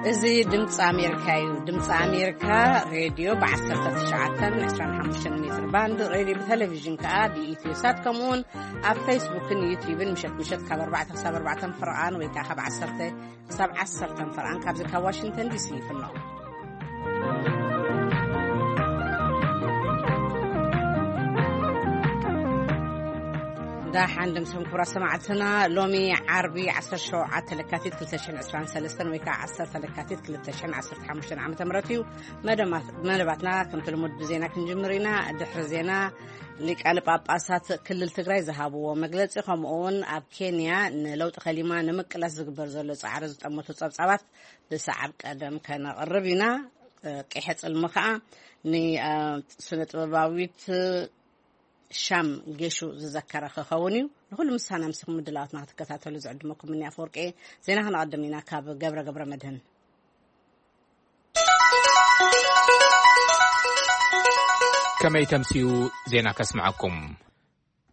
እዚ ድምፂ ኣሜሪካ እዩ። ድምፂ ኣሜሪካ ሬድዮ ብ19፣ 25 ሜትር ባንድ፣ ሬድዮ ብቴሌቪዥን ከዓ ብኢትዮ ሳት፣ ከምኡውን ኣብ ፌስቡክን ዩቲዩብን ምሸት ምሸት ካብ ኣርባዕተ ክሳብ ኣርባዕተ ፍርቓን ወይ ከዓ ካብ ዓሰርተ ክሳብ ዓሰርተ ፍርቓን ካብዚ ካብ ዋሽንግተን ዲሲ ይፍኖ። ዳሓን ድምስኹም ክቡራት ሰማዕትና። ሎሚ ዓርቢ ዓሰርተ ሸውዓተ ለካቲት ክልተ ሽሕን ዕስራን ሰለስተን ወይ ከዓ ዓሰርተ ለካቲት ክልተ ሽሕን ዓሰርተ ሓሙሽተን ዓመተ ምህረት እዩ። መደማት-፣ መደባትና ከምቲ ልሙድ ብዜና ክንጅምር ኢና። ድሕሪ ዜና ሊቃነ ጳጳሳት ክልል ትግራይ ዝሃብዎ መግለጺ፣ ከምኡ እውን ኣብ ኬንያ ንለውጢ ከሊማ ንምቅላስ ዝግበር ዘሎ ጻዕሪ ዝጠመቱ ጸብጻባት ብሰዓብ ቀደም ከነቕርብ ኢና። ቂሐ ጽልሚ ከኣ ን-፣ አ፣ ስነ ጥበባዊት ሻም ጌሹ ዝዘከረ ክኸውን እዩ። ንኹሉ ምሳና ምስኹም ምድላዋትና ክትከታተሉ ዝዕድመኩም እኒ ኣፈወርቂ። ዜና ክነቐድም ኢና ካብ ገብረ ገብረ መድህን። ከመይ ተምስዩ ዜና ከስምዐኩም።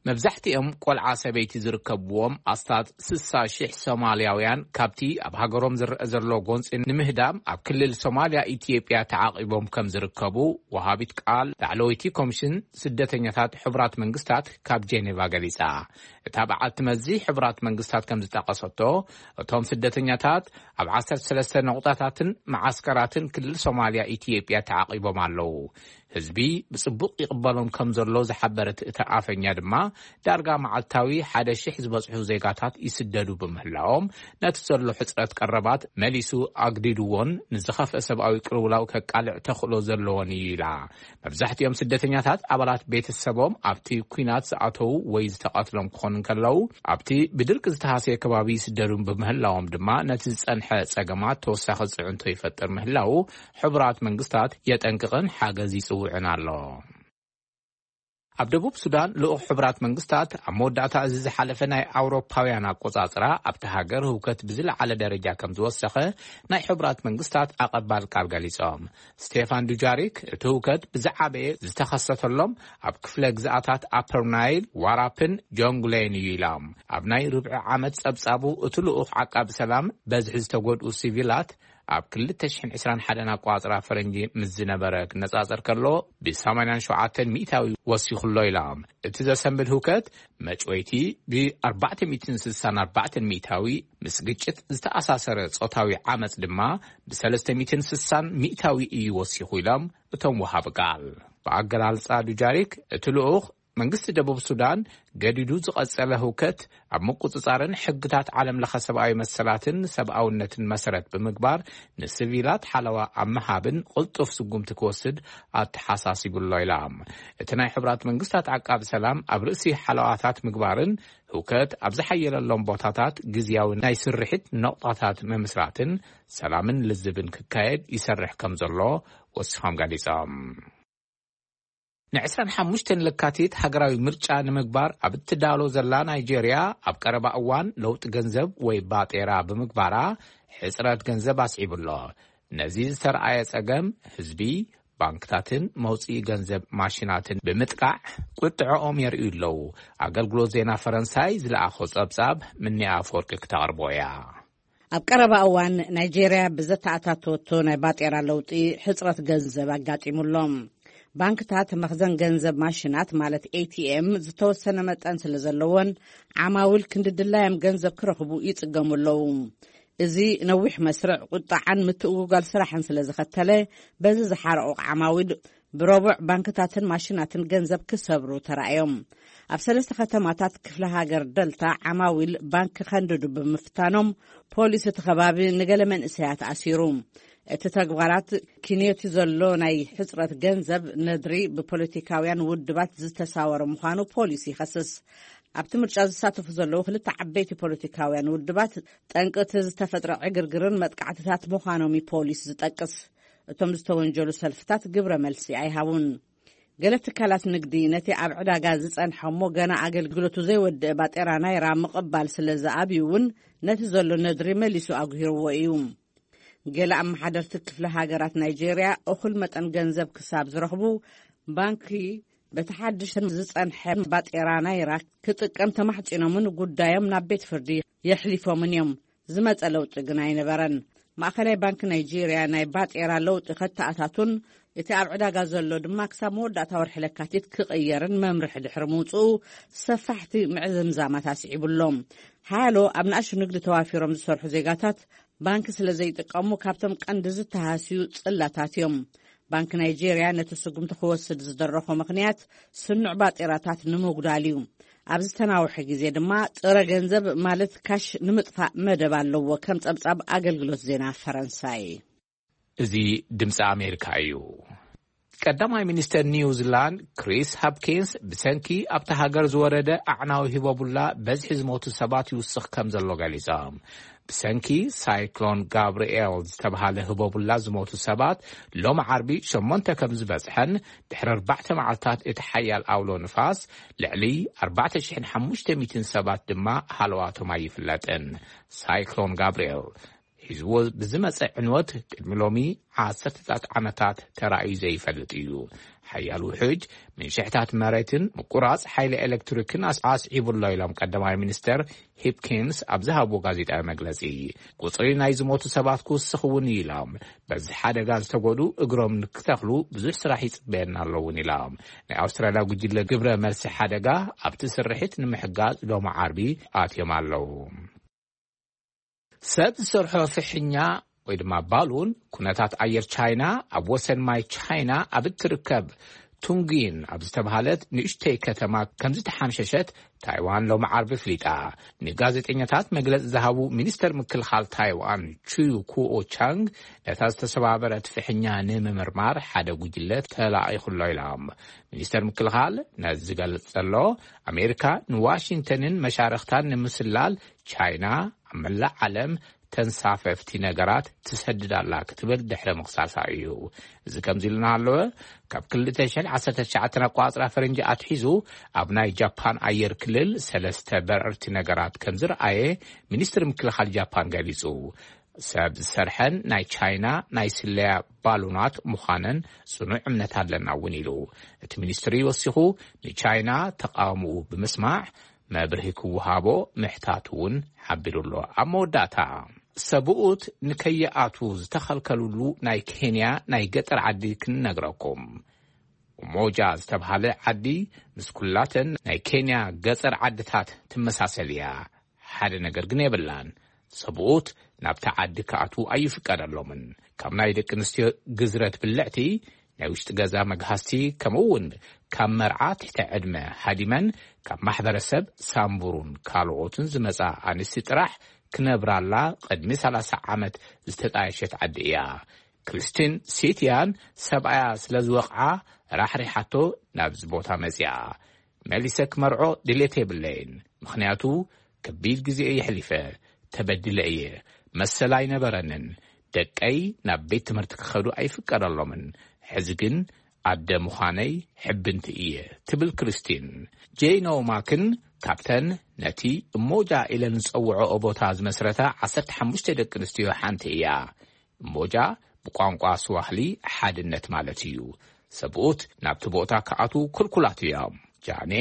መብዛሕትኦም ቆልዓ ሰበይቲ ዝርከብዎም ኣስታት ስሳ ሽሕ ሶማልያውያን ካብቲ ኣብ ሃገሮም ዝረአ ዘሎ ጎንፂ ንምህዳም ኣብ ክልል ሶማልያ ኢትዮጵያ ተዓቒቦም ከም ዝርከቡ ወሃቢት ቃል ላዕለወይቲ ኮሚሽን ስደተኛታት ሕቡራት መንግስታት ካብ ጄኔቫ ገሊጻ። እታ በዓልቲ መዚ ሕቡራት መንግስታት ከም ዝጠቐሰቶ፣ እቶም ስደተኛታት ኣብ ዓሰርተ ሰለስተ ነቑጣታትን መዓስከራትን ክልል ሶማልያ ኢትዮጵያ ተዓቒቦም ኣለዉ። ህዝቢ ብጽቡቕ ይቕበሎም ከም ዘሎ ዝሓበረት እታ ኣፈኛ ድማ፣ ዳርጋ መዓልታዊ ሓደ ሽሕ ዝበጽሑ ዜጋታት ይስደዱ ብምህላዎም፣ ነቲ ዘሎ ሕጽረት ቀረባት መሊሱ ኣግዲድዎን ንዝኸፍአ ሰብኣዊ ቅልውላው ከቃልዕ ተኽእሎ ዘለዎን እዩ ኢላ። መብዛሕትኦም ስደተኛታት ኣባላት ቤተሰቦም ኣብቲ ኲናት ዝኣተዉ ወይ ዝተቐትሎም ክኾኑ እንከለዉ፣ ኣብቲ ብድርቂ ዝተሃስየ ከባቢ ይስደዱ ብምህላዎም ድማ፣ ነቲ ዝጸንሐ ጸገማት ተወሳኺ ጽዕንቶ ይፈጥር ምህላዉ ሕቡራት መንግስታት የጠንቅቕን ሓገዝ ይጽውዕን ኣሎ። ኣብ ደቡብ ሱዳን፣ ልኡኽ ሕቡራት መንግስታት ኣብ መወዳእታ እዚ ዝሓለፈ ናይ ኣውሮፓውያን ኣቆጻጽራ ኣብቲ ሃገር ህውከት ብዝለዓለ ደረጃ ከም ዝወሰኸ ናይ ሕቡራት መንግስታት ኣቐባል ቃል ገሊጾም። ስቴፋን ዱጃሪክ፣ እቲ ህውከት ብዝዓበየ ዝተኸሰተሎም ኣብ ክፍለ ግዝኣታት ኣፐር ናይል፣ ዋራፕን ጆንግሌን እዩ ኢሎም። ኣብ ናይ ርብዒ ዓመት ጸብጻቡ፣ እቲ ልኡኽ ዓቃቢ ሰላም በዝሒ ዝተጎድኡ ሲቪላት ኣብ ክልተ ሽሕን ዕስራን ሓደን ኣቋጽራ ፈረንጂ ምስ ዝነበረ ክነጻጸር ከሎ፣ ብ ሰማንያን ሸውዓተን ሚእታዊ ወሲኹ ኣሎ ኢሎም። እቲ ዘሰንብድ ህውከት መጭወይቲ ብ464 ሚእታዊ፣ ምስ ግጭት ዝተኣሳሰረ ጾታዊ ዓመጽ ድማ ብ360 ሚእታዊ እዩ ወሲኹ ኢሎም እቶም ወሃቢ ቃል። ብኣገላልጻ ዱጃሪክ፣ እቲ ልኡኽ መንግስቲ ደቡብ ሱዳን ገዲዱ ዝቐጸለ ህውከት ኣብ ምቁጽጻርን ሕግታት ዓለም ለኸ ሰብኣዊ መሰላትን ሰብኣውነትን መሰረት ብምግባር ንሲቪላት ሓለዋ ኣብ ምሃብን ቅልጡፍ ስጉምቲ ክወስድ ኣተሓሳሲቡ ኣሎ ኢላ። እቲ ናይ ሕቡራት መንግስታት ዓቃቢ ሰላም ኣብ ርእሲ ሓለዋታት ምግባርን ህውከት ኣብ ዝሓየለሎም ቦታታት ግዝያዊ ናይ ስርሒት ነቑጣታት ምምስራትን ሰላምን ልዝብን ክካየድ ይሰርሕ ከም ዘሎ ወሲኾም ገሊጾም። ን25 ለካቲት ሃገራዊ ምርጫ ንምግባር ኣብ እትዳሎ ዘላ ናይጄርያ፣ ኣብ ቀረባ እዋን ለውጢ ገንዘብ ወይ ባጤራ ብምግባራ ሕጽረት ገንዘብ ኣስዒቡ ኣሎ። ነዚ ዝተረኣየ ጸገም፣ ህዝቢ ባንክታትን መውጽኢ ገንዘብ ማሽናትን ብምጥቃዕ ቁጥዐኦም የርእዩ ኣለዉ። ኣገልግሎት ዜና ፈረንሳይ ዝለኣኾ ጸብጻብ ምኒኣ ኣፈወርቂ ክተቕርቦ እያ። ኣብ ቀረባ እዋን ናይጄርያ ብዘተኣታተወቶ ናይ ባጤራ ለውጢ ሕጽረት ገንዘብ ኣጋጢሙሎም። ባንክታት መኽዘን ገንዘብ ማሽናት ማለት ኤ ቲ ኤም ዝተወሰነ መጠን ስለ ዘለዎን ዓማዊል ክንዲ ድላዮም ገንዘብ ክረኽቡ ይጽገሙ ኣለዉ። እዚ ነዊሕ መስርዕ ቁጣዓን ምትእጉጓል ስራሕን ስለ ዝኸተለ በዚ ዝሓረቑ ዓማዊል ብረቡዕ ባንክታትን ማሽናትን ገንዘብ ክሰብሩ ተራእዮም። ኣብ ሰለስተ ከተማታት ክፍለ ሃገር ደልታ ዓማዊል ባንክ ከንድዱ ብምፍታኖም ፖሊስ እቲ ከባቢ ንገለ መንእሰያት ኣሲሩ። እቲ ተግባራት ኪንዮቲ ዘሎ ናይ ሕጽረት ገንዘብ ነድሪ ብፖለቲካውያን ውድባት ዝተሳወረ ምዃኑ ፖሊስ ይኸስስ። ኣብቲ ምርጫ ዝሳተፉ ዘለዉ ክልተ ዓበይቲ ፖለቲካውያን ውድባት ጠንቂ እቲ ዝተፈጥረ ዕግርግርን መጥቃዕትታት ምዃኖም እዩ ፖሊስ ዝጠቅስ። እቶም ዝተወንጀሉ ሰልፍታት ግብረ መልሲ ኣይሃቡን። ገለ ትካላት ንግዲ ነቲ ኣብ ዕዳጋ ዝጸንሐ እሞ ገና ኣገልግሎቱ ዘይወድአ ባጤራ ናይራ ምቕባል ስለ ዝኣብዩ እውን ነቲ ዘሎ ነድሪ መሊሱ ኣጉሂርዎ እዩ። ገለ ኣመሓደርቲ ክፍለ ሃገራት ናይጄርያ እኹል መጠን ገንዘብ ክሳብ ዝረኽቡ ባንኪ በቲ ሓድሽ ዝጸንሐ ባጤራ ናይራ ክጥቀም ተማሕጺኖምን ጉዳዮም ናብ ቤት ፍርዲ የሕሊፎምን እዮም። ዝመጸ ለውጢ ግን ኣይነበረን። ማእኸላይ ባንክ ናይጄርያ ናይ ባጤራ ለውጢ ከተኣታቱን እቲ ኣብ ዕዳጋ ዘሎ ድማ ክሳብ መወዳእታ ወርሒ ለካቲት ክቕየርን መምርሒ ድሕሪ ምውፅኡ ሰፋሕቲ ምዕዝምዛማት ኣስዒቡሎም። ሓያሎ ኣብ ንኣሽቱ ንግዲ ተዋፊሮም ዝሰርሑ ዜጋታት ባንክ ስለ ዘይጥቀሙ ካብቶም ቀንዲ ዝተሃስዩ ጽላታት እዮም። ባንክ ናይጄርያ ነቲ ስጉምቲ ክወስድ ዝደረኾ ምኽንያት ስኑዕ ባጤራታት ንምጉዳል እዩ። ኣብ ዝተናውሐ ግዜ ድማ ጥረ ገንዘብ ማለት ካሽ ንምጥፋእ መደብ ኣለዎ፣ ከም ጸብጻብ ኣገልግሎት ዜና ፈረንሳይ። እዚ ድምፂ ኣሜሪካ እዩ። ቀዳማይ ሚኒስተር ኒውዚላንድ ክሪስ ሃፕኪንስ ብሰንኪ ኣብቲ ሃገር ዝወረደ ኣዕናዊ ህቦቡላ በዝሒ ዝሞቱ ሰባት ይውስኽ ከም ዘሎ ገሊጾም። ብሰንኪ ሳይክሎን ጋብርኤል ዝተባሃለ ህቦቡላ ዝሞቱ ሰባት ሎም ዓርቢ ሸሞንተ ከም ዝበጽሐን ድሕሪ ኣርባዕተ መዓልታት እቲ ሓያል ኣውሎ ንፋስ ልዕሊ ኣርባዕተ ሽሕን ሓሙሽተ ሚእትን ሰባት ድማ ሃለዋቶም ኣይፍለጥን። ሳይክሎን ጋብርኤል ሒዝዎ ብዝመጸ ዕንወት ቅድሚ ሎሚ ዓሰርተታት ዓመታት ተራእዩ ዘይፈልጥ እዩ። ሓያል ውሕጅ፣ ምንሽሕታት መሬትን ምቁራጽ ሓይሊ ኤሌክትሪክን ኣስ-፣ ኣስዒቡ ኣሎ ኢሎም ቀዳማይ ሚኒስተር ሂፕኪንስ ኣብ ዝሃብዎ ጋዜጣዊ መግለጺ። ቁጽሪ ናይ ዝሞቱ ሰባት ክውስኽ እውን እዩ ኢሎም። በዚ ሓደጋ ዝተጎዱ እግሮም ንክተኽሉ ብዙሕ ስራሕ ይጽበየና ኣሎ እውን ኢሎም። ናይ ኣውስትራልያ ጉጅለ ግብረ መልሲ ሓደጋ ኣብቲ ስርሒት ንምሕጋዝ ሎሚ ዓርቢ ኣትዮም ኣለዉ። ሰብ ዝሰርሖ ፍሕኛ ወይ ድማ ባሉን ኩነታት ኣየር ቻይና ኣብ ወሰን ማይ ቻይና ኣብ እትርከብ ቱንጊን ኣብ ዝተባሃለት ንእሽተይ ከተማ ከም ዝተሓምሸሸት ታይዋን ሎሚ ዓርቢ ኣፍሊጣ። ንጋዜጠኛታት መግለጺ ዝሃቡ ሚኒስተር ምክልኻል ታይዋን ቹ ኩኦ ቻንግ ነታ ዝተሰባበረት ፍሕኛ ንምምርማር ሓደ ጉጅለ ተላኢኹ ኣሎ ኢሎም። ሚኒስተር ምክልኻል ነዚ ዝገልጽ ዘሎ ኣሜሪካ ንዋሽንግተንን መሻርኽታን ንምስላል ቻይና ኣብ መላእ ዓለም ተንሳፈፍቲ ነገራት ትሰድድ ኣላ ክትብል ድሕሪ ምኽሳሳ እዩ። እዚ ከምዚ ኢሉ እናሃለወ፣ ካብ ክልተ ሽሕን ዓሰርተ ትሽዓተን ኣቆጻጽራ ፈረንጂ ኣትሒዙ ኣብ ናይ ጃፓን ኣየር ክልል ሰለስተ በረርቲ ነገራት ከም ዝረኣየ ሚኒስትሪ ምክልኻል ጃፓን ገሊጹ። ሰብ ዝሰርሐን ናይ ቻይና ናይ ስለያ ባሉናት ምዃነን ጽኑዕ እምነት ኣለና እውን ኢሉ። እቲ ሚኒስትሪ ወሲኹ ንቻይና ተቓውምኡ ብምስማዕ መብርሂ ክወሃቦ ምሕታቱ እውን ሓቢሩ ኣሎ። ኣብ መወዳእታ ሰብኡት ንከይኣትዉ ዝተኸልከልሉ ናይ ኬንያ ናይ ገጠር ዓዲ ክንነግረኩም። ኡሞጃ ዝተብሃለ ዓዲ ምስ ኩላተን ናይ ኬንያ ገጠር ዓድታት ትመሳሰል እያ። ሓደ ነገር ግን የብላን። ሰብኡት ናብቲ ዓዲ ክኣትዉ ኣይፍቀደሎምን። ካብ ናይ ደቂ ኣንስትዮ ግዝረት ብልዕቲ ናይ ውሽጢ ገዛ መግሃስቲ፣ ከምኡ እውን ካብ መርዓ ትሕቲ ዕድመ ሃዲመን ካብ ማሕበረሰብ ሳምቡሩን ካልኦትን ዝመጻ ኣንስቲ ጥራሕ ክነብራላ ቅድሚ ሰላሳ ዓመት ዝተጣየሸት ዓዲ እያ። ክሪስቲን ሲትያን ሰብኣያ ስለ ዝወቕዓ ራሕሪሓቶ ናብዚ ቦታ መጺኣ። መሊሰ ክመርዖ ድሌት የብለይን፣ ምኽንያቱ ከቢድ ግዜ እየ የሕሊፈ፣ ተበዲለ እየ፣ መሰል ኣይነበረንን፣ ደቀይ ናብ ቤት ትምህርቲ ክኸዱ ኣይፍቀደሎምን። ሕዚ ግን ኣደ ምዃነይ ሕብንቲ እየ ትብል ክሪስቲን። ጄይ ኖማክን ካብተን ነቲ እሞጃ ኢለን ዝጸውዖኦ ቦታ ዝመስረታ ዓሰርተ ሓሙሽተ ደቂ ኣንስትዮ ሓንቲ እያ። እሞጃ ብቋንቋ ስዋህሊ ሓድነት ማለት እዩ። ሰብኡት ናብቲ ቦታ ክኣትዉ ክልኩላት እዮም። ጃኔ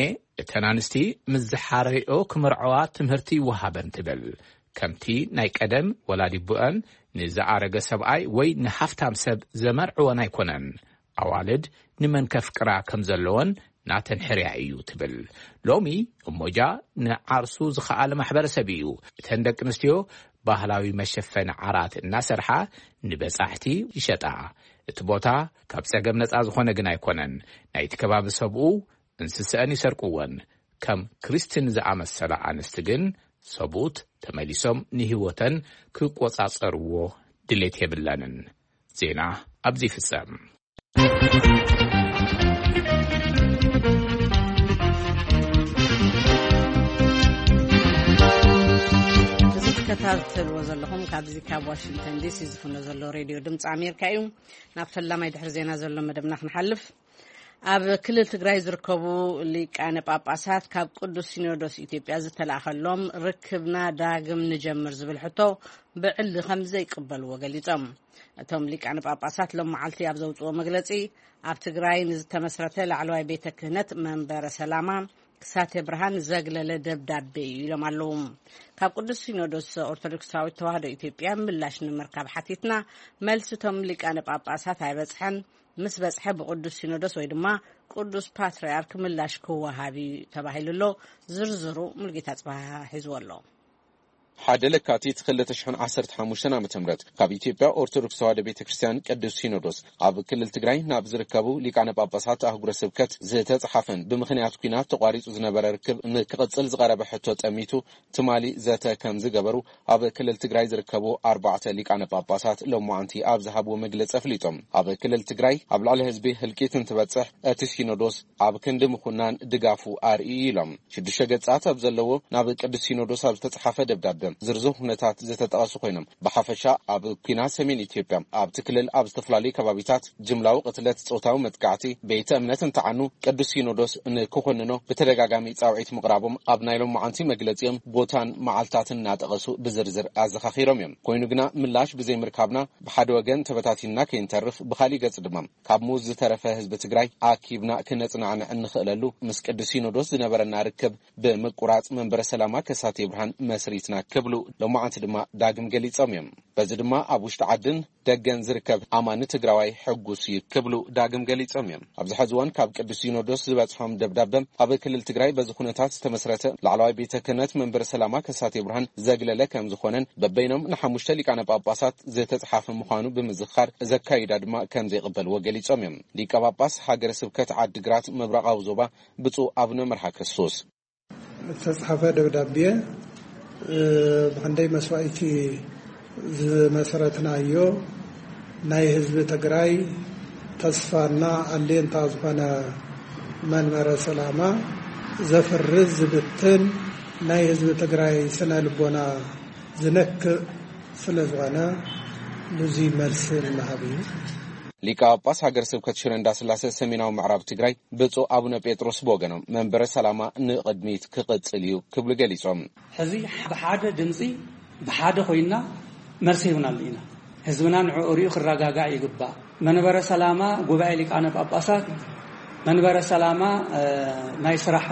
እተን ኣንስቲ ምስ ዝሓረይኦ ክምርዐዋ ትምህርቲ ይወሃበን ትብል። ከምቲ ናይ ቀደም ወላዲ ኣቦኣን ንዝኣረገ ሰብኣይ ወይ ንሃፍታም ሰብ ዘመርዕወን ኣይኮነን። ኣዋልድ ንመን ከፍቅራ ከም ዘለወን ናተን ሕርያ እዩ ትብል። ሎሚ እሞጃ ንዓርሱ ዝኸኣለ ማሕበረሰብ እዩ። እተን ደቂ ኣንስትዮ ባህላዊ መሸፈኒ ዓራት እናሰርሓ ንበጻሕቲ ይሸጣ። እቲ ቦታ ካብ ጸገም ነጻ ዝኾነ ግን ኣይኮነን። ናይቲ ከባቢ ሰብኡ እንስሰአን ይሰርቅወን። ከም ክሪስቲን ዝኣመሰላ ኣንስቲ ግን ሰብኡት ተመሊሶም ንህይወተን ክቆጻጸርዎ ድሌት የብለንን። ዜና ኣብዚ ይፍጸም። እዚ ትከታተልዎ ዘለኹም ካብዚ ካብ ዋሽንግተን ዲሲ ዝፍኖ ዘሎ ሬድዮ ድምፂ ኣሜሪካ እዩ። ናብ ፈላማይ ድሕሪ ዜና ዘሎ መደብና ክንሓልፍ። ኣብ ክልል ትግራይ ዝርከቡ ሊቃነ ጳጳሳት ካብ ቅዱስ ሲኖዶስ ኢትዮጵያ ዝተላእኸሎም ርክብና ዳግም ንጀምር ዝብል ሕቶ ብዕሊ ከም ዘይቅበልዎ ገሊጾም። እቶም ሊቃነ ጳጳሳት ሎም መዓልቲ ኣብ ዘውፅዎ መግለጺ፣ ኣብ ትግራይ ንዝተመስረተ ላዕለዋይ ቤተ ክህነት መንበረ ሰላማ ክሳቴ ብርሃን ዘግለለ ደብዳቤ እዩ ኢሎም ኣለዉ። ካብ ቅዱስ ሲኖዶስ ኦርቶዶክሳዊት ተዋህዶ ኢትዮጵያ ምላሽ ንምርካብ ሓቲትና፣ መልሲ እቶም ሊቃነ ጳጳሳት ኣይበጽሐን። ምስ በጽሐ ብቅዱስ ሲኖዶስ ወይ ድማ ቅዱስ ፓትርያርክ ምላሽ ክወሃብ እዩ ተባሂሉ ኣሎ። ዝርዝሩ ሙልጌታ ጽባሃ ሒዝዎ ኣሎ። ሓደ ለካቲት ክልተ ሽሕን ዓሰርተ ሓሙሽተን ዓመተ ምህረት ካብ ኢትዮጵያ ኦርቶዶክስ ተዋህዶ ቤተ ክርስቲያን ቅዱስ ሲኖዶስ ኣብ ክልል ትግራይ ናብ ዝርከቡ ሊቃነ ጳጳሳት ኣህጉረ ስብከት ዝተጻሓፈን ብምኽንያት ኲናት ተቋሪጹ ዝነበረ ርክብ ንክቕጽል ዝቐረበ ሕቶ ጠሚቱ ትማሊ ዘተ ከም ዝገበሩ ኣብ ክልል ትግራይ ዝርከቡ ኣርባዕተ ሊቃነ ጳጳሳት ሎማዓንቲ ኣብ ዝሃብዎ መግለጺ ኣፍሊጦም። ኣብ ክልል ትግራይ ኣብ ልዕሊ ህዝቢ ህልቂት እንትበጽሕ እቲ ሲኖዶስ ኣብ ክንዲ ምኹናን ድጋፉ ኣርእዩ ኢሎም። ሽዱሽተ ገጻት ኣብ ዘለዎ ናብ ቅዱስ ሲኖዶስ ኣብ ዝተጻሓፈ ደብዳበ ዝርዝር ኩነታት ዝተጠቐሱ ኮይኖም፣ ብሓፈሻ ኣብ ኲናት ሰሜን ኢትዮጵያ ኣብቲ ክልል ኣብ ዝተፈላለዩ ከባቢታት ጅምላዊ ቅትለት፣ ጾታዊ መጥቃዕቲ፣ ቤተ እምነት እንትዓኑ ቅዱስ ሲኖዶስ ንክኾንኖ ብተደጋጋሚ ጻውዒት ምቕራቦም ኣብ ናይ ሎማዓንቲ መግለጺኦም ቦታን መዓልታትን እናጠቐሱ ብዝርዝር ኣዘኻኺሮም እዮም። ኮይኑ ግና ምላሽ ብዘይምርካብና ብሓደ ወገን ተበታቲንና ከይንተርፍ፣ ብኻሊእ ገጽ ድማ ካብ ሙዝ ዝተረፈ ህዝቢ ትግራይ ኣኪብና ክነጽናዕንዕ እንኽእለሉ ምስ ቅዱስ ሲኖዶስ ዝነበረና ርክብ ብምቁራጽ መንበረ ሰላማ ከሳቴ ብርሃን መስሪትና ክብሉ ሎማዓንቲ ድማ ዳግም ገሊጾም እዮም። በዚ ድማ ኣብ ውሽጢ ዓድን ደገን ዝርከብ ኣማኒ ትግራዋይ ሕጉስ እዩ ክብሉ ዳግም ገሊጾም እዮም። ኣብዚ ሕዚ እዋን ካብ ቅዱስ ሲኖዶስ ዝበጽሖም ደብዳበ ኣብ ክልል ትግራይ በዚ ኩነታት ዝተመስረተ ላዕለዋይ ቤተ ክህነት መንበረ ሰላማ ከሳቴ ብርሃን ዘግለለ ከም ዝኾነን በበይኖም ንሓሙሽተ ሊቃነ ጳጳሳት ዝተጽሓፈ ምዃኑ ብምዝኻር ዘካይዳ ድማ ከም ዘይቕበልዎ ገሊጾም እዮም። ሊቀ ጳጳስ ሃገረ ስብከት ዓዲግራት ምብራቓዊ ዞባ ብፁዕ ኣቡነ መርሃ ክርስቶስ ዝተጻሓፈ ደብዳቤ ብክንደይ መስዋእቲ ዝመሰረትናዮ ናይ ህዝቢ ትግራይ ተስፋና ኣሌንታ ዝኾነ መንበረ ሰላማ ዘፍርስ ዝብትን ናይ ህዝቢ ትግራይ ስነ ልቦና ዝነክእ ስለ ዝኾነ ብዙይ መልሲ ንምሃብ እዩ። ሊቀ ጳጳስ ሃገረ ስብከት ሽረ እንዳስላሴ ሰሜናዊ ምዕራብ ትግራይ ብፁዕ ኣቡነ ጴጥሮስ ብወገኖም መንበረ ሰላማ ንቕድሚት ክቕጽል እዩ ክብሉ ገሊጾም። ሕዚ ብሓደ ድምፂ ብሓደ ኮይና መልሲ ሂብናሉ ኢና። ህዝብና ንዕኡ ሪኡ ክረጋጋእ ይግባእ። መንበረ ሰላማ ጉባኤ ሊቃነ ጳጳሳት፣ መንበረ ሰላማ ናይ ስራሕ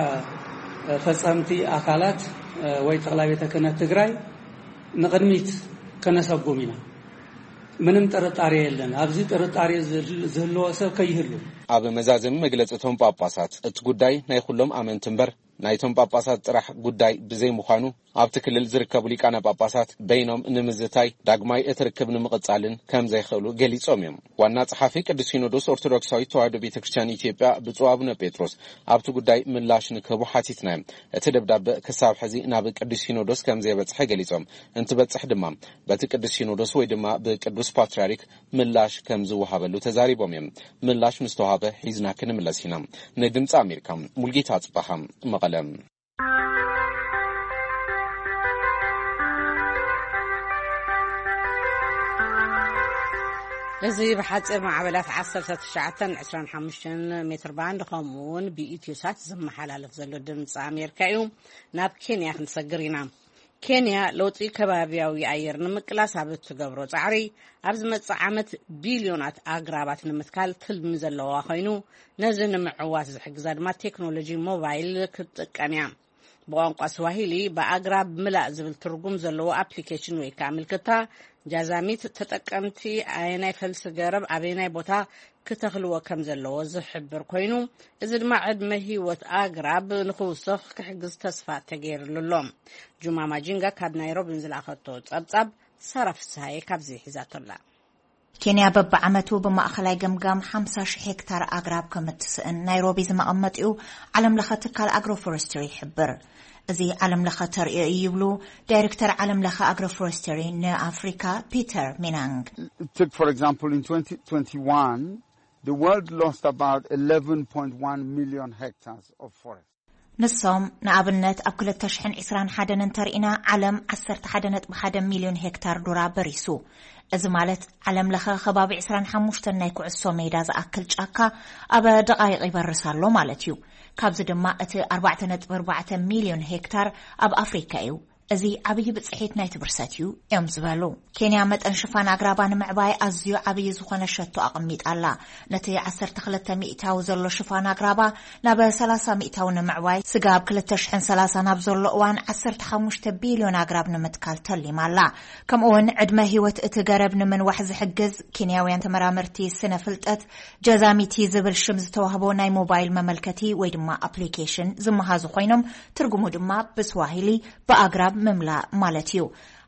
ፈጸምቲ ኣካላት ወይ ጠቕላይ ቤተ ክህነት ትግራይ ንቕድሚት ከነሰጉም ኢና። ምንም ጥርጣሬ የለን። ኣብዚ ጥርጣሬ ዝህልዎ ሰብ ከይህሉ። ኣብ መዛዘሚ መግለጺ እቶም ጳጳሳት እቲ ጉዳይ ናይ ኩሎም ኣመንቲ እምበር ናይቶም ጳጳሳት ጥራሕ ጉዳይ ብዘይምዃኑ ኣብቲ ክልል ዝርከቡ ሊቃነ ጳጳሳት በይኖም ንምዝታይ ዳግማይ እቲ ርክብ ንምቕጻልን ከም ዘይኽእሉ ገሊጾም እዮም። ዋና ጸሓፊ ቅዱስ ሲኖዶስ ኦርቶዶክሳዊት ተዋህዶ ቤተ ክርስቲያን ኢትዮጵያ ብፁዕ ኣቡነ ጴጥሮስ ኣብቲ ጉዳይ ምላሽ ንክህቡ ሓቲትና እዮም። እቲ ደብዳበ ክሳብ ሕዚ ናብ ቅዱስ ሲኖዶስ ከም ዘይበጽሐ ገሊጾም፣ እንትበጽሕ ድማ በቲ ቅዱስ ሲኖዶስ ወይ ድማ ብቅዱስ ፓትርያርክ ምላሽ ከም ዝወሃበሉ ተዛሪቦም እዮም። ምላሽ ምስ ተዋሃበ ሒዝና ክንምለስ ኢና። ንድምፂ ኣሜሪካ ሙልጌታ ጽባሃ መቐለ። እዚ ብሓፂር ማዕበላት ዓሰርተ ትሽዓተን ዕስራን ሓሙሽተን ሜትር ባንድ ከምኡ እውን ብኢትዮ ሳት ዝመሓላለፍ ዘሎ ድምፂ ኣሜሪካ እዩ። ናብ ኬንያ ክንሰግር ኢና። ኬንያ ለውጢ ከባቢያዊ ኣየር ንምቅላስ ኣብ እትገብሮ ጻዕሪ ኣብ ዝመጽእ ዓመት ቢልዮናት ኣግራባት ንምትካል ትልሚ ዘለዋ ኮይኑ ነዚ ንምዕዋት ዝሕግዛ ድማ ቴክኖሎጂ ሞባይል ክትጥቀም እያ። ብቋንቋ ስዋሂሊ ብኣግራብ ምላእ ዝብል ትርጉም ዘለዎ ኣፕሊኬሽን ወይ ከዓ ምልክታ ጃዛሚት ተጠቀምቲ ኣየናይ ፈልሲ ገረብ ኣበየናይ ቦታ ክተኽልዎ ከም ዘለዎ ዝሕብር ኮይኑ፣ እዚ ድማ ዕድመ ህይወት ኣግራብ ንኽውስኽ ክሕግዝ ተስፋ ተገይርሉ ኣሎ። ጁማ ማጂንጋ ካብ ናይሮቢ ንዝለኣኸቶ ጸብጻብ ሳራ ፍስሃየ ካብዚ ሒዛቶ ኣላ። ኬንያ በብዓመቱ ብማእኸላይ ገምጋም ሓምሳ ሺሕ ሄክታር ኣግራብ ከም እትስእን ናይሮቢ ዝመቐመጢኡ ዓለም ለኸ ትካል ኣግሮ ፎረስትሪ ይሕብር። እዚ ዓለም ለኸ ተርእዮ እዩ ይብሉ ዳይሬክተር ዓለም ለኸ ኣግሮ ፎረስትሪ ንኣፍሪካ ፒተር ሚናንግ። Take, for example, in twenty twenty-one, the world lost about eleven point one million hectares of forest. ንሶም ንኣብነት ኣብ ክልተ ሽሕን ዕስራን ሓደን እንተርኢና ዓለም ዓሰርተ ሓደ ነጥቢ ሓደ ሚልዮን ሄክታር ዱራ በሪሱ። እዚ ማለት ዓለም ለኸ ከባቢ ዕስራን ሓሙሽተን ናይ ኩዕሶ ሜዳ ዝኣክል ጫካ ኣብ ደቓይቕ ይበርስ ኣሎ ማለት እዩ። ካብዚ ድማ እቲ ኣርባዕተ ነጥቢ ኣርባዕተ ሚልዮን ሄክታር ኣብ ኣፍሪካ እዩ። እዚ ዓብዪ ብፅሒት ናይቲ ብርሰት እዩ እዮም ዝበሉ። ኬንያ መጠን ሽፋን ኣግራባ ንምዕባይ ኣዝዩ ዓብዪ ዝኾነ ሸቶ ኣቐሚጣ ኣላ። ነቲ ዓሰርተ ክልተ ሚእታዊ ዘሎ ሽፋን ኣግራባ ናብ ሰላሳ ሚእታዊ ንምዕባይ፣ ስጋብ ክልተ ሽሕን ሰላሳን ኣብ ዘሎ እዋን ዓሰርተ ሓሙሽተ ቢልዮን ኣግራብ ንምትካል ተሊማ ኣላ። ከምኡ እውን ዕድመ ህይወት እቲ ገረብ ንምንዋሕ ዝሕግዝ ኬንያውያን ተመራመርቲ ስነ ፍልጠት ጃዛሚቲ ዝብል ሽም ዝተዋህቦ ናይ ሞባይል መመልከቲ ወይ ድማ ኣፕሊኬሽን ዝመሃዙ ኮይኖም፣ ትርጉሙ ድማ ብስዋሂሊ ብኣግራብ ምምላእ ማለት እዩ።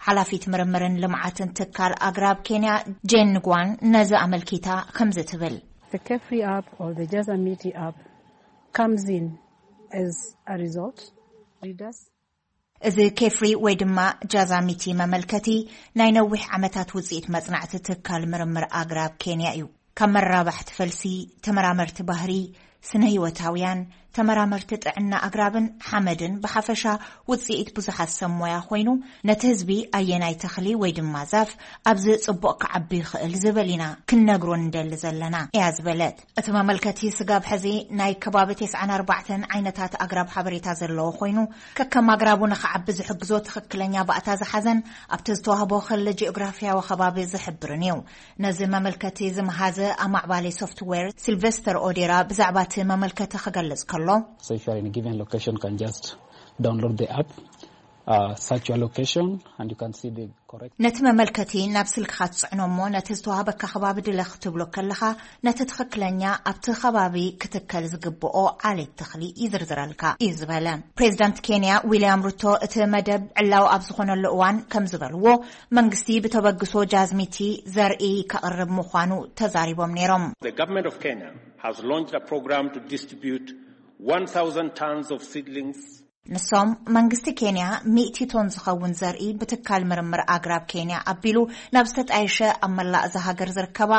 ሓላፊት ምርምርን ልምዓትን ትካል ኣግራብ ኬንያ ጄን ንጓን ነዚ ኣመልኪታ ከምዚ ትብል። The Kefri app or the Jazamiti app comes in as a result. Readers እዚ ኬፍሪ ወይ ድማ ጃዛሚቲ መመልከቲ ናይ ነዊሕ ዓመታት ውፅኢት መፅናዕቲ ትካል ምርምር ኣግራብ ኬንያ እዩ። ካብ መራባሕቲ ፈልሲ፣ ተመራመርቲ ባህሪ፣ ስነ ህይወታውያን፣ ተመራመርቲ ጥዕና ኣግራብን ሓመድን ብሓፈሻ ውፅኢት ብዙሓት ሰብ ሞያ ኮይኑ፣ ነቲ ህዝቢ ኣየናይ ተኽሊ ወይ ድማ ዛፍ ኣብዚ ጽቡቕ ክዓቢ ይኽእል ዝብል ኢና ክንነግሮ ንደሊ ዘለና እያ ዝበለት። እቲ መመልከቲ ስጋብ ሕዚ ናይ ከባቢ ተስዓን ኣርባዕተን ዓይነታት ኣግራብ ሓበሬታ ዘለዎ ኮይኑ፣ ከከም ኣግራቡ ንኽዓቢ ዝሕግዞ ትኽክለኛ ባእታ ዝሓዘን ኣብቲ ዝተዋህቦ ክሊ ጂኦግራፊያዊ ከባቢ ዝሕብርን እዩ። ነዚ መመልከቲ ዝመሃዘ ኣማዕባሊ ሶፍትዌር ሲልቨስተር ኦዴራ ብዛዕባ እቲ መመልከቲ ክገልጽ ከሎ፣ So if you are in a given location, you can just download the app, uh, search your location, and you can see the correct ነቲ መመልከቲ ናብ ስልክኻ ትጽዕኖ እሞ፣ ነቲ ዝተዋህበካ ከባቢ ድለ ክትብሎ ከለኻ፣ ነቲ ትኽክለኛ ኣብቲ ከባቢ ክትከል ዝግብኦ ዓሌት ተኽሊ ይዝርዝረልካ እዩ ዝበለ። ፕሬዚዳንት ኬንያ ዊልያም ሩቶ እቲ መደብ ዕላዊ ኣብ ዝኾነሉ እዋን ከም ዝበልዎ፣ መንግስቲ ብተበግሶ ጃዝሚቲ ዘርኢ ከቕርብ ምዃኑ ተዛሪቦም ነይሮም። The government of Kenya has launched a program to distribute one thousand tons of seedlings ንሶም፣ መንግስቲ ኬንያ ሚእቲ ቶን ዝኸውን ዘርኢ ብትካል ምርምር ኣግራብ ኬንያ ኣቢሉ ናብ ዝተጣየሸ ኣብ መላእ እዛ ሃገር ዝርከባ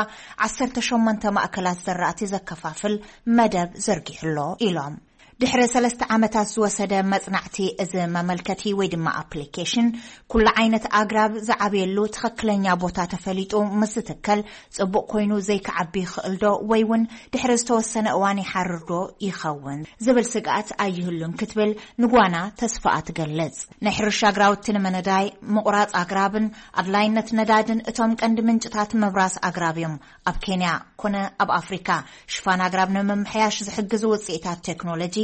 ዓሰርተ ሸሞንተ ማእከላት ዘራእቲ ዘከፋፍል መደብ ዘርጊሑ ኣሎ ኢሎም። ድሕሪ ሰለስተ ዓመታት ዝወሰደ መጽናዕቲ፣ እዚ መመልከቲ ወይ ድማ ኣፕሊኬሽን ኩሉ ዓይነት ኣግራብ ዝዓብየሉ ትኽክለኛ ቦታ ተፈሊጡ ምስ ዝትከል፣ ጽቡቕ ኮይኑ ዘይክዓቢ ይኽእል ዶ ወይ እውን ድሕሪ ዝተወሰነ እዋን ይሓርር ዶ ይኸውን ዝብል ስግኣት ኣይህሉን ክትብል ንጓና ተስፋኣ ትገልጽ። ናይ ሕርሻ ግራውቲ ንምንዳይ፣ ምቑራጽ ኣግራብን ኣድላይነት ነዳድን እቶም ቀንዲ ምንጭታት ምብራስ ኣግራብ እዮም። ኣብ ኬንያ ኮነ ኣብ ኣፍሪካ ሽፋን ኣግራብ ንምምሕያሽ ዝሕግዙ ውፅኢታት ቴክኖሎጂ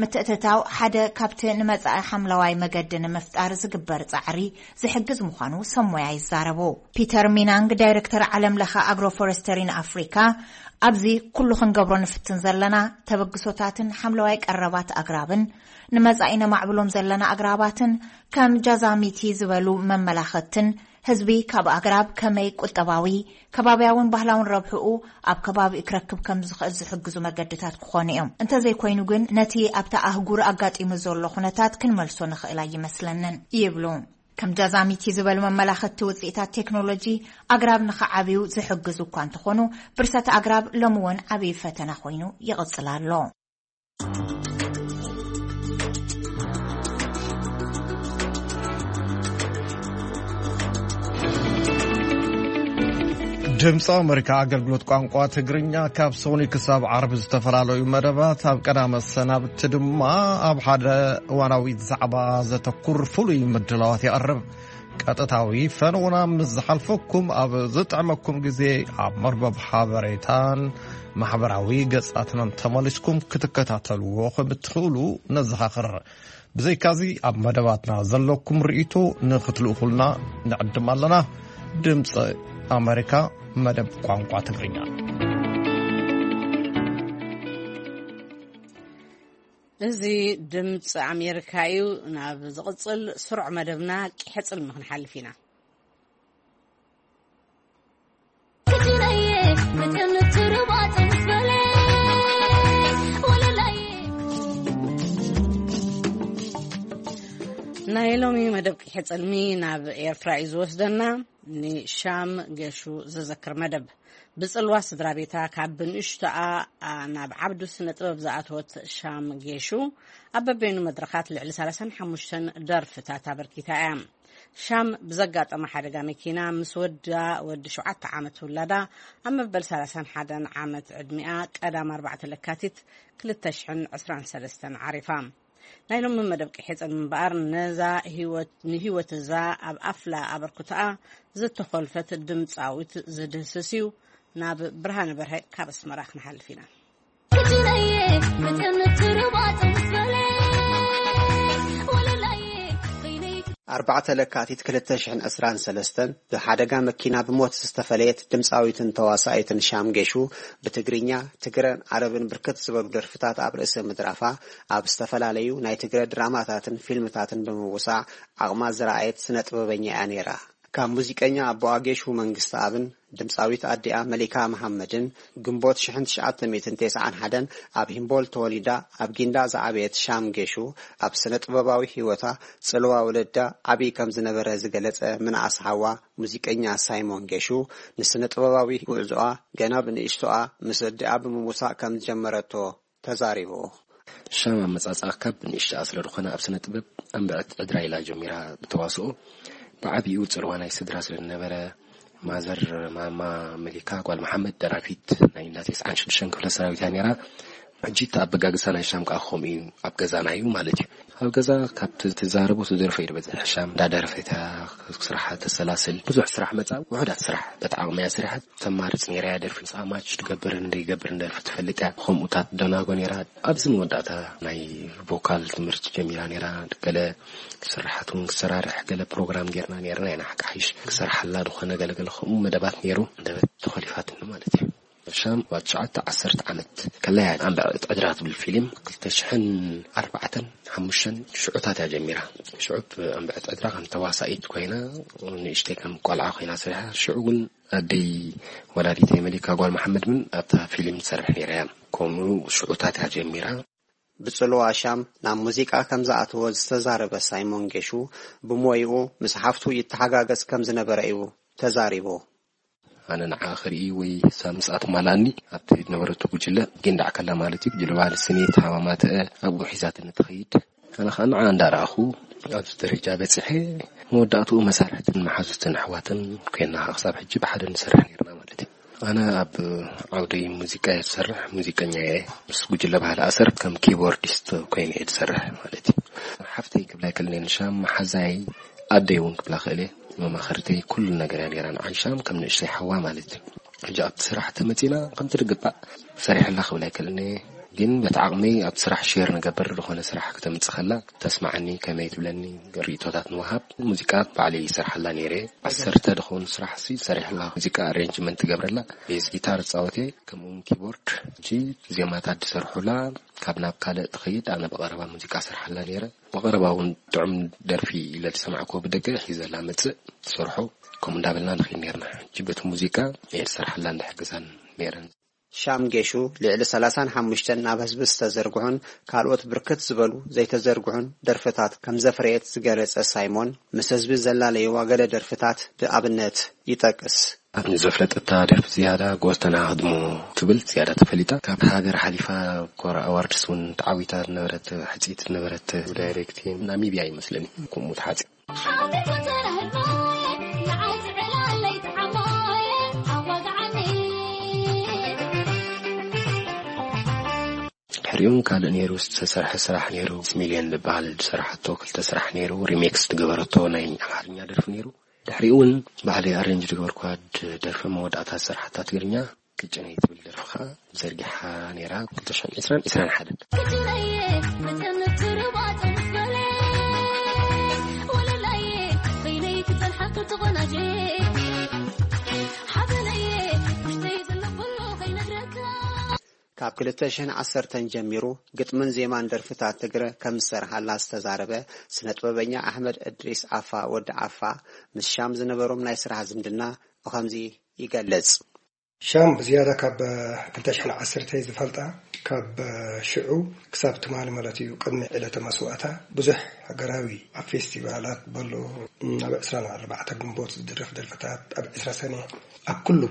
ምትእትታው ሓደ ካብቲ ንመጻኢ ሓምለዋይ መገዲ ንምፍጣር ዝግበር ጻዕሪ ዝሕግዝ ምዃኑ ሰብ ሞያ ይዛረቡ። ፒተር ሚናንግ፣ ዳይሬክተር ዓለም ለኸ ኣግሮፎረስተሪን ኣፍሪካ፣ ኣብዚ ኩሉ ክንገብሮ ንፍትን ዘለና ተበግሶታትን ሓምለዋይ ቀረባት ኣግራብን ንመጻኢ ነማዕብሎም ዘለና ኣግራባትን ከም ጃዛሚቲ ዝበሉ መመላኸትን ህዝቢ ካብ ኣግራብ ከመይ ቁጠባዊ፣ ከባብያውን ባህላውን ረብሕኡ ኣብ ከባቢኡ ክረክብ ከም ዝኽእል ዝሕግዙ መገድታት ክኾኑ እዮም። እንተዘይኮይኑ ግን ነቲ ኣብታ ኣህጉር ኣጋጢሙ ዘሎ ኩነታት ክንመልሶ ንኽእል ኣይመስለንን ይብሉ። ከም ጃዛሚቲ ዝበሉ መመላኸቲ ውፅኢታት ቴክኖሎጂ ኣግራብ ንኽዓብዩ ዝሕግዙ እኳ እንተኾኑ፣ ብርሰት ኣግራብ ሎሚ እውን ዓብዪ ፈተና ኮይኑ ይቕፅል ኣሎ። ድምፂ ኣመሪካ ኣገልግሎት ቋንቋ ትግርኛ ካብ ሰኑይ ክሳብ ዓርቢ ዝተፈላለዩ መደባት ኣብ ቀዳመ ሰናብቲ ድማ ኣብ ሓደ እዋናዊ ዛዕባ ዘተኩር ፍሉይ ምድላዋት የቕርብ። ቀጥታዊ ፈነውና ምስ ዝሓልፈኩም ኣብ ዝጥዕመኩም ግዜ ኣብ መርበብ ሓበሬታን ማሕበራዊ ገጻትናን ተመሊስኩም ክትከታተልዎ ከም እትኽእሉ ነዘኻኽር። ብዘይካዚ ኣብ መደባትና ዘለኩም ርእይቶ ንኽትልእኹልና ንዕድም ኣለና። ድምፂ ኣመሪካ መደብ ቋንቋ ትግርኛ። እዚ ድምፂ ኣሜሪካ እዩ። ናብ ዝቕፅል ስሩዕ መደብና ቂሐ ፅልሚ ክንሓልፍ ኢና። ናይ ሎሚ መደብ ቂሐ ፅልሚ ናብ ኤርትራ እዩ ዝወስደና። ንሻም ገሹ ዘዘክር መደብ። ብጽልዋ ስድራ ቤታ ካብ ብንእሽቶኣ፣ ኣ፣ ናብ ዓብዱ ስነ ጥበብ ዝኣተወት ሻም ጌሹ፣ ኣብ በበይኑ መድረኻት ልዕሊ ሰላሳን ሓሙሽተን ደርፍታት ኣበርኪታ እያ። ሻም ብዘጋጠማ ሓደጋ መኪና ምስ ወዳ፣ ወዲ ሸውዓተ ዓመት ውላዳ፣ ኣብ መበል ሰላሳን ሓደን ዓመት ዕድሚኣ ቀዳም ኣርባዕተ ለካቲት ክልተ ሽሕን ዕስራን ሰለስተን ዓሪፋ። ናይ ሎሚ መደብ ቅሒጽን እምበኣር፣ ነዛ ህይወት፣ ንህይወት እዛ ኣብ ኣፍላ ኣበርክቶኣ ዝተኾልፈት ድምጻዊት ዝድህስስ እዩ። ናብ ብርሃነ በርሀ ካብ ኣስመራ ክንሓልፍ ኢና። ክጅነየ መጠን ትርባጽ ምስበለ ወለላየ በይነይ ኣርባዕተ ለካቲት ክልተ ሽሕን ዕስራን ሰለስተን ብሓደጋ መኪና ብሞት ዝተፈለየት ድምፃዊትን ተዋሳኢትን ሻም ጌሹ፣ ብትግርኛ፣ ትግረን ዓረብን ብርክት ዝበሉ ደርፍታት ኣብ ርእሰ ምድራፋ፣ ኣብ ዝተፈላለዩ ናይ ትግረ ድራማታትን ፊልምታትን ብምውሳእ ዓቕማ ዝረኣየት ስነ ጥበበኛ እያ ነይራ። ካብ ሙዚቀኛ ኣቦኣ ጌሹ መንግስተኣብን ድምፃዊት ኣዲኣ መሊካ መሓመድን ግንቦት ሽሕን ትሽዓተ ሚእትን ተስዓን ሓደን ኣብ ሂምቦል ተወሊዳ ኣብ ጊንዳዕ ዝዓበየት ሻም ጌሹ፣ ኣብ ስነ ጥበባዊ ህይወታ ጽልዋ ወለዳ ዓቢ ከም ዝነበረ ዝገለጸ ምንኣስ ሓዋ ሙዚቀኛ ሳይሞን ጌሹ፣ ንስነ ጥበባዊ ጉዕዞኣ ገና ብንእሽቶኣ ምስ ኣዲኣ ብምውሳእ ከም ዝጀመረቶ ተዛሪቡ። ሻም ኣመጻጽኣ ካብ ብንእሽቶኣ ስለ ዝኾነ ኣብ ስነ ጥበብ ኣንብዐት ዕድራ ኢላ ጀሚራ። ብተዋስኦ ብዓቢኡ ጽልዋ ናይ ስድራ ስለ ዝነበረ፣ ማዘር ማማ መሊካ ጓል መሓመድ ደራፊት ናይ እንዳ ተስዓን ሽዱሽተን ክፍለ ሰራዊት እያ ነይራ። ሕጂ እቲ ኣበጋግሳ ናይ ሻም ከኣ ከምኡ እዩ፣ ኣብ ገዛና እዩ ማለት እዩ። ኣብ ገዛ ካብ ት-፣ ትዛረቦ ትደርፎ እዩ ዝበዝሕ። ሻም እንዳደረፈት እያ ስራሓ ተሰላስል። ብዙሕ ስራሕ መጻ፣ ውሑዳት ስራሕ በቲ ዓቕሚ እያ ሰሪሓ። ተማርጽ ነይራ እያ ደርፊ። ንስኣ ማች ትገብርን ዘይገብርን ደርፊ ትፈልጥ እያ። ከምኡታት ደናጎ ነይራ። ኣብዚ መወዳእታ ናይ ቮካል ትምህርቲ ጀሚራ ነይራ። ገለ ስራሓት እውን ክሰራርሕ ገለ ፕሮግራም ጌርና ነይርና ኢና። ሓቂ ሓይሽ ክሰርሓላ ዝኾነ ገለገለ ከምኡ መደባት ነይሩ። መደበት ተኾሊፋትኒ ማለት እዩ። ሻም ኣብ ትሽዓተ ዓሰርተ ዓመት ከለያ ኣንብዐት ዕድራ ትብል ፊልም ክልተ ሽሕን ኣርባዕተን ሓሙሽተን ሽዑታት እያ ጀሚራ። ሽዑ ኣንብዐት ዕድራ ከም ተዋሳኢት ኮይና ንእሽተይ ከም ቆልዓ ኮይና ሰሪሓ። ሽዑ እውን ኣደይ ወላዲተይ መሊካ ጓል መሓመድ እውን ኣብታ ፊልም ትሰርሕ ነይራ እያ። ከምኡ ሽዑታት እያ ጀሚራ። ብጽልዋ ሻም ናብ ሙዚቃ ከም ዝኣተወ ዝተዛረበ ሳይሞን ጌሹ፣ ብሞይኡ ምስ ሓፍቱ ይተሓጋገዝ ከም ዝነበረ እዩ ተዛሪቡ። ኣነ ንዓ ክርኢ ወይ ሳብ ምስኣ ትማልኣኒ ኣብቲ ዝነበረቶ ጉጅለ ጊንዳዕ ከላ ማለት እዩ። ጉጅለ ባህሊ ስኒት ሃማማተአ ኣብኡ ሒዛትኒ ትኸይድ። ኣነ ኸዓ ንዓ እንዳረኣኹ ኣብዚ ደረጃ በጺሐ፣ መወዳእትኡ መሳርሕትን መሓዙትን ኣሕዋትን ኮይና ክሳብ ሕጂ ብሓደ ንሰርሕ ነይርና ማለት እዩ። ኣነ ኣብ ዓውዲ ሙዚቃ እየ ዝሰርሕ፣ ሙዚቀኛ እየ። ምስ ጉጅለ ባህሊ ኣሰር ከም ኪቦርዲስት ኮይነ እየ ዝሰርሕ ማለት እዩ። ሓፍተይ ክብላ ኣይክእልን እየ ንሻም፣ መሓዛይ፣ ኣደይ እውን ክብላ ክእል እየ። መማኸርተይ ኩሉ ነገር እያ ነይራ ንዓይ ሻም ከም ንእሽተይ ሓዋ ማለት እዩ። ሕጂ ኣብቲ ስራሕ ተመጺና ከምቲ ዝግባእ ሰሪሐላ ክብል ኣይክእልን እየ። ግን በቲ ዓቕመይ ኣብቲ ስራሕ ሼር ንገብር፣ ዝኾነ ስራሕ ክተምጽእ ከላ ተስማዓኒ፣ ከመይ ትብለኒ ርእይቶታት ንወሃብ። ሙዚቃ ባዕለይ ይሰርሓላ ነይረ። ዓሰርተ ዝኾኑ ስራሕ ሲ ሰሪሕላ። ሙዚቃ ኣሬንጅመንት ትገብረላ፣ ቤዝ ጊታር ጻወቴ፣ ከምኡውን ኪቦርድ። ሕጂ ዜማታት ዝሰርሑላ ካብ ናብ ካልእ ትኸይድ፣ ኣነ ብቐረባ ሙዚቃ ሰርሓላ ነይረ። ብቐረባ እውን ጥዑም ደርፊ ኢለ ዝሰማዕክዎ ብደገ ሒዘላ መጽእ ትሰርሖ። ከምኡ እንዳበልና ንኸይድ ነይርና። ሕጂ በቲ ሙዚቃ እየ ዝሰርሓላ እንድሕግዛን ነይረን። ሻም ጌሹ ልዕሊ ሰላሳን ሓሙሽተን ናብ ህዝቢ ዝተዘርግሑን ካልኦት ብርክት ዝበሉ ዘይተዘርግሑን ደርፍታት ከም ዘፍረየት ዝገለጸ ሳይሞን፣ ምስ ህዝቢ ዘላለይዋ ገለ ደርፍታት ብኣብነት ይጠቅስ። ኣብ ንዘፍለጠታ ደርፊ ዝያዳ ጎስተና ህድሞ ትብል ዝያዳ ተፈሊጣ። ካብ ሃገር ሓሊፋ ኮራ ኣዋርድስ እውን ተዓዊታ ዝነበረት፣ ሕጽይቲ ዝነበረት ዳይሬክቲን ናሚብያ ይመስለኒ። ከምኡ ተሓጺ ሓቢርኩ ተረህልቦ፣ ንዓይ ትዕላለይ ትዓሞየ፣ ኣዋግዓኒ። ድሕሪኡ ካልእ ነይሩ፣ ዝተሰርሐ ስራሕ ነይሩ። ሚስ ሚልዮን ዝበሃል ዝሰራሓቶ ክልተ ስራሕ ነይሩ። ሪሜክስ ዝገበረቶ ናይ ኣምሓርኛ ደርፊ ነይሩ። ድሕሪኡ እውን ባዕለይ ኣሬንጅ ዝገበርኳ ድ-፣ ደርፊ መወዳእታ ዝሰራሓታ ትግርኛ፣ ቅጭነይ ትብል ደርፊ ኸዓ ዘርጊሓ ነይራ። ክልተ ሽሕን ዕስራን፣ ዕስራን ሓደን። ክጅነየ መጠን ትርባጽ ምስ በለ፣ ወለላየ በይነይ ክጸንሓ ክትቆናጀ፣ ሓበነየ ውሽጠይ ዘሎ ኩሉ ከይነግረካ። ካብ ክልተ ሽሕን ዓሰርተን ጀሚሩ ግጥምን ዜማን ደርፍታት ትግረ ከም ዝሰርሓላ ዝተዛረበ ስነ ጥበበኛ ኣሕመድ እድሪስ ዓፋ ወዲ ዓፋ፣ ምስ ሻም ዝነበሮም ናይ ስራሕ ዝምድና ብኸምዚ ይገልጽ። ሻም ብዝያዳ ካብ ክልተ ሽሕን ዓሰርተ ዝፈልጣ፣ ካብ ሽዑ ክሳብ ትማሊ ማለት እዩ፣ ቅድሚ ዕለተ መስዋእታ ብዙሕ ሃገራዊ ኣብ ፌስቲቫላት በሎ፣ ኣብ ዕስራን ኣርባዕተ ግንቦት ዝድረፍ ደርፍታት፣ ኣብ ዕስራ ሰነ፣ ኣብ ኩሉ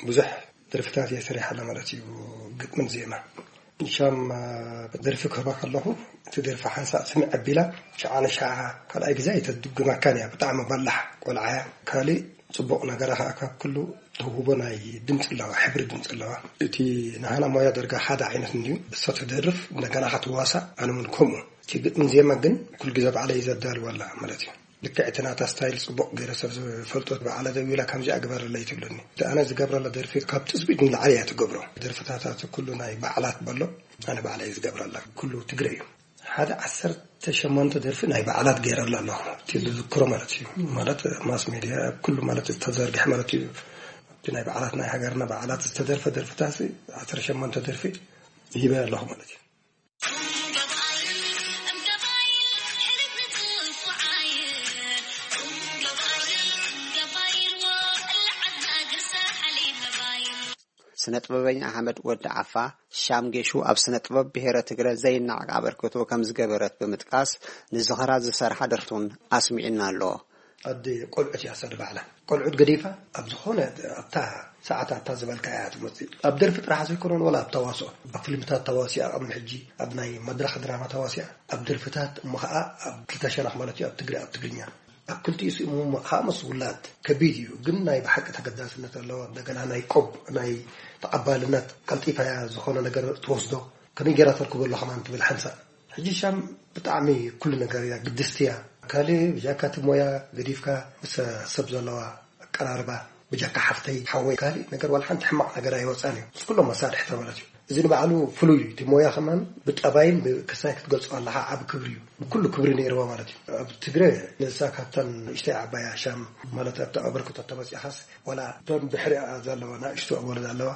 ብዙሕ ደርፍታት እየ ሰሪሓላ ማለት እዩ፣ ግጥምን ዜማ። ሻም ደርፊ ክህባ ከለኹ፣ እቲ ደርፊ ሓንሳእ ስምዕ ኣቢላ፣ ሸዓ ንሸዓ ካልኣይ ግዜ ኣይተድግመካን እያ። ብጣዕሚ በላሕ ቆልዓ እያ። ካልእ ጽቡቕ ነገራ ከኣ ካብ ኩሉ ተውህቦ ናይ ድምጺ ኣለዋ፣ ሕብሪ ድምጺ ኣለዋ። እቲ ንሃና ሞያ ደርጋ ሓደ ዓይነት እንድዩ። እሳ ትደርፍ፣ እንደገና ከኣ ትዋሳእ፣ ኣነ እውን ከምኡ። እቲ ግጥሚ ዜማ ግን ኩሉ ግዜ ባዕለይ ዘዳልዋ ኣላ ማለት እዩ። ልክዕ እቲ ናታ ስታይል ጽቡቕ ገይረ ሰብ ዝፈልጦ ባዕላ ደዊላ ከምዚኣ ግበረለይ ትብለኒ። እቲ ኣነ ዝገብረላ ደርፊ ካብ ትጽቢት ንላዕሊ እያ ትገብሮ። ደርፍታታት ኩሉ ናይ ባዕላት በሎ ኣነ ባዕለይ ዝገብረላ ኩሉ ትግረ እዩ። ሓደ ዓሰርተ ሸሞንተ ደርፊ ናይ ባዕላት ገይረላ ኣለኹ። እቲ ዝዝክሮ ማለት እዩ። ማለት ማስ ሜድያ ኩሉ ማለት ዝተዘርግሐ ማለት እዩ። እቲ ናይ ባዕላት ናይ ሃገርና ባዕላት ዝተደርፈ ደርፍታት ዓሰርተ ሸሞንተ ደርፊ ሂበ ኣለኹ ማለት እዩ። ስነ ጥበበኛ ኣሕመድ ወዲ ዓፋ ሻም ጌሹ ኣብ ስነ ጥበብ ብሔረ ትግረ ዘይናዕ ኣበርክቶ ከም ዝገበረት ብምጥቃስ ንዝኸራ ዝሰርሓ ደርፍቱን ኣስሚዕና ኣሎ። ኣደ ቆልዑት እያ ሰደ ባዕላ። ቆልዑት ገዲፋ ኣብ ዝኾነ ኣብታ ሰዓት ኣታ ዝበልካ እያ ትመጽእ። ኣብ ደርፊ ጥራሕ ዘይኮነን ወላ ኣብ ተዋስኦ፣ ኣብ ፊልምታት ተዋሲኣ፣ ኣብ ሕጂ ኣብ ናይ መድረኽ ድራማ ተዋሲኣ፣ ኣብ ደርፍታት እሞ ኸዓ ኣብ ክልተ ሸነኽ ማለት እዩ ኣብ ትግሪ ኣብ ትግርኛ ኣብ ክልቲኡ ስሙ ኸዓ ምስ ውላድ ከቢድ እዩ። ግን ናይ ብሓቂ ተገዳስነት ኣለዎ። እንደገና ናይ ቆብ ናይ ተቐባልነት ቀልጢፋ እያ ዝኾነ ነገር ትወስዶ ከመይ ገይራ ተርክቦ ኣሎ ከማን ትብል ሓንሳእ። ሕጂ ሻም ብጣዕሚ ኩሉ ነገር እያ ግድስቲ እያ። ካልእ ብጃካ እቲ ሞያ ገዲፍካ ምስ ሰብ ዘለዋ ኣቀራርባ ብጃካ ሓፍተይ ሓወይ ካልእ ነገር ዋላ ሓንቲ ሕማቕ ነገር ኣይወፃን እዩ ምስ ኩሎም መሳርሕታ ማለት እዩ። እዚ ንባዕሉ ፍሉይ እዩ። እቲ ሞያ ከማን ብጠባይን ብክሳይ ክትገልፆ ኣለካ ዓብ ክብሪ እዩ። ብኩሉ ክብሪ ነይርዋ ማለት እዩ። ኣብ ትግረ ንሳ ካብተን ንእሽተይ ዓባያ ሻም ማለት ኣብቲ ኣበርክቶ ተመፂኻስ ዋላ እቶም ድሕሪኣ ዘለዋ ናእሽቱ ኣወለ ዘለዋ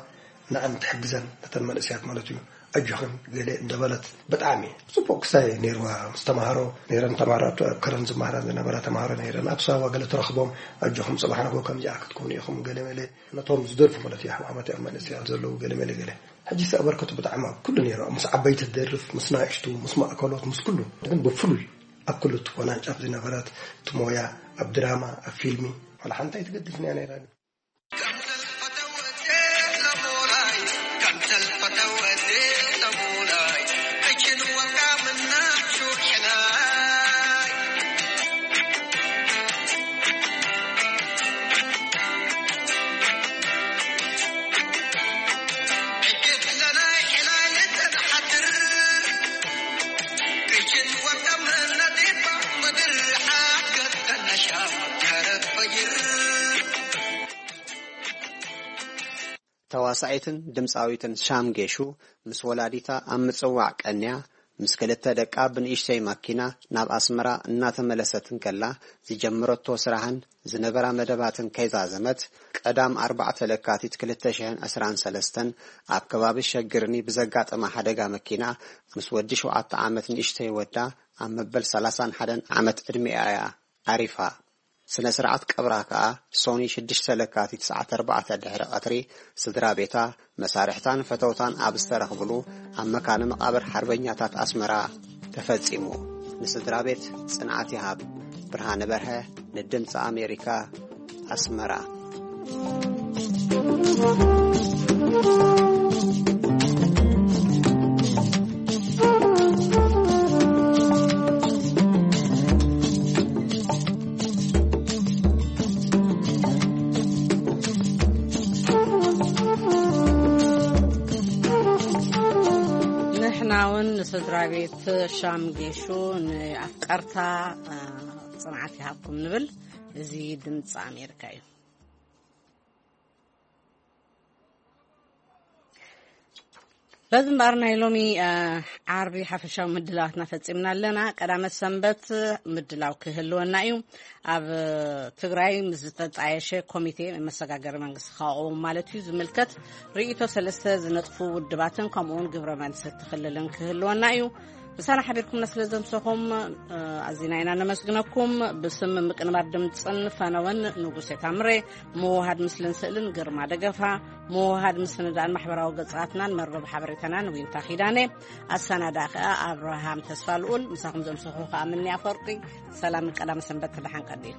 ንኣን ትሕግዘን ነተን መንእስያት ማለት እዩ። ኣጆኽን ገለ እንደበለት ብጣዕሚ ጽቡቕ ክሳይ ነይርዋ ምስ ተማሃሮ ነይረን ተማሃሮ ኣብቲ ኣብ ከረን ዝማሃራ ዝነበራ ተማሃሮ ነይረን ኣብ ሳዋ ገለ ተረኽቦም ኣጆኹም ጽባሕ ንግሆ ከምዚኣ ክትኮኑ ኢኹም ገለ መለ ነቶም ዝደርፉ ማለት እዩ ኣሕዋት ኣብ መንእስያት ዘለዉ ገለ መለ ገለ ሕጂ ኣበርከቱ ብጣዕሚ ኣብ ኩሉ ነይሩ ምስ ዓበይቲ ትደርፍ ምስ ናእሽቱ ምስ ማእከሎት ምስ ኩሉ ግን ብፍሉይ ኣብ ኩሉ እቲ ኮናንጫፍ ዝነበረት እቲ ሞያ ኣብ ድራማ ኣብ ፊልሚ ዋላ ሓንቲ ኣይትገድፍን እያ ነይራ። ተዋሳኢትን ድምፃዊትን ሻም ጌሹ ምስ ወላዲታ ኣብ ምጽዋዕ ቀንያ ምስ ክልተ ደቃ ብንእሽተይ ማኪና ናብ ኣስመራ እናተመለሰት እንከላ ዝጀመረቶ ስራሕን ዝነበራ መደባትን ከይዛዘመት ቀዳም ኣርባዕተ ለካቲት ክልተ ሽሕን ዕስራን ሰለስተን ኣብ ከባቢ ሸግርኒ ብዘጋጠማ ሓደጋ መኪና ምስ ወዲ ሸውዓተ ዓመት ንእሽተይ ወዳ ኣብ መበል ሰላሳን ሓደን ዓመት ዕድሚኣ እያ ዓሪፋ። ስነ ስርዓት ቀብራ ከኣ ሶኒ ሽዱሽተ ለካቲት ሰዓት ኣርባዕተ ድሕሪ ቀትሪ ስድራ ቤታ፣ መሳርሕታን ፈተውታን ኣብ ዝተረኽብሉ ኣብ መካነ መቓብር ሓርበኛታት ኣስመራ ተፈጺሙ። ንስድራ ቤት ጽንዓት ይሃብ። ብርሃነ በርሀ ንድምፂ ኣሜሪካ ኣስመራ። ንሕና እውን ንስድራ ቤት ሻም ጌሹ ንኣፍቀርታ ጽንዓት ይሃብኩም ንብል። እዚ ድምፂ ኣሜሪካ እዩ። በዚ እምበኣር ናይ ሎሚ ዓርቢ ሓፈሻዊ ምድላዋትና ፈፂምና ኣለና። ቀዳመት ሰንበት ምድላው ክህልወና እዩ። ኣብ ትግራይ ምስ ዝተጣየሸ ኮሚቴ መሰጋገሪ መንግስቲ ክቋወም ማለት እዩ ዝምልከት ርእይቶ ሰለስተ ዝነጥፉ ውድባትን ከምኡውን ግብረ መልሲ እቲ ክልልን ክህልወና እዩ። ምሳና ሓቢርኩምና ስለ ዘምሰኹም ኣዚና ኢና ነመስግነኩም። ብስም ምቅንባር ድምፅን ፈነወን ንጉሴ ታምሬ፣ ምውሃድ ምስልን ስእልን ግርማ ደገፋ፣ ምውሃድ ምስንዳእን ማሕበራዊ ገጻትናን መርበብ ሓበሬታናን ዊንታ ኪዳነ፣ ኣሰናዳ ከኣ ኣብርሃም ተስፋ ልኡል። ምሳኹም ዘምሰኹ ከኣ ምንያ ፈርቂ። ሰላምን ቀዳመ ሰንበት ተደሓን ቀዲል።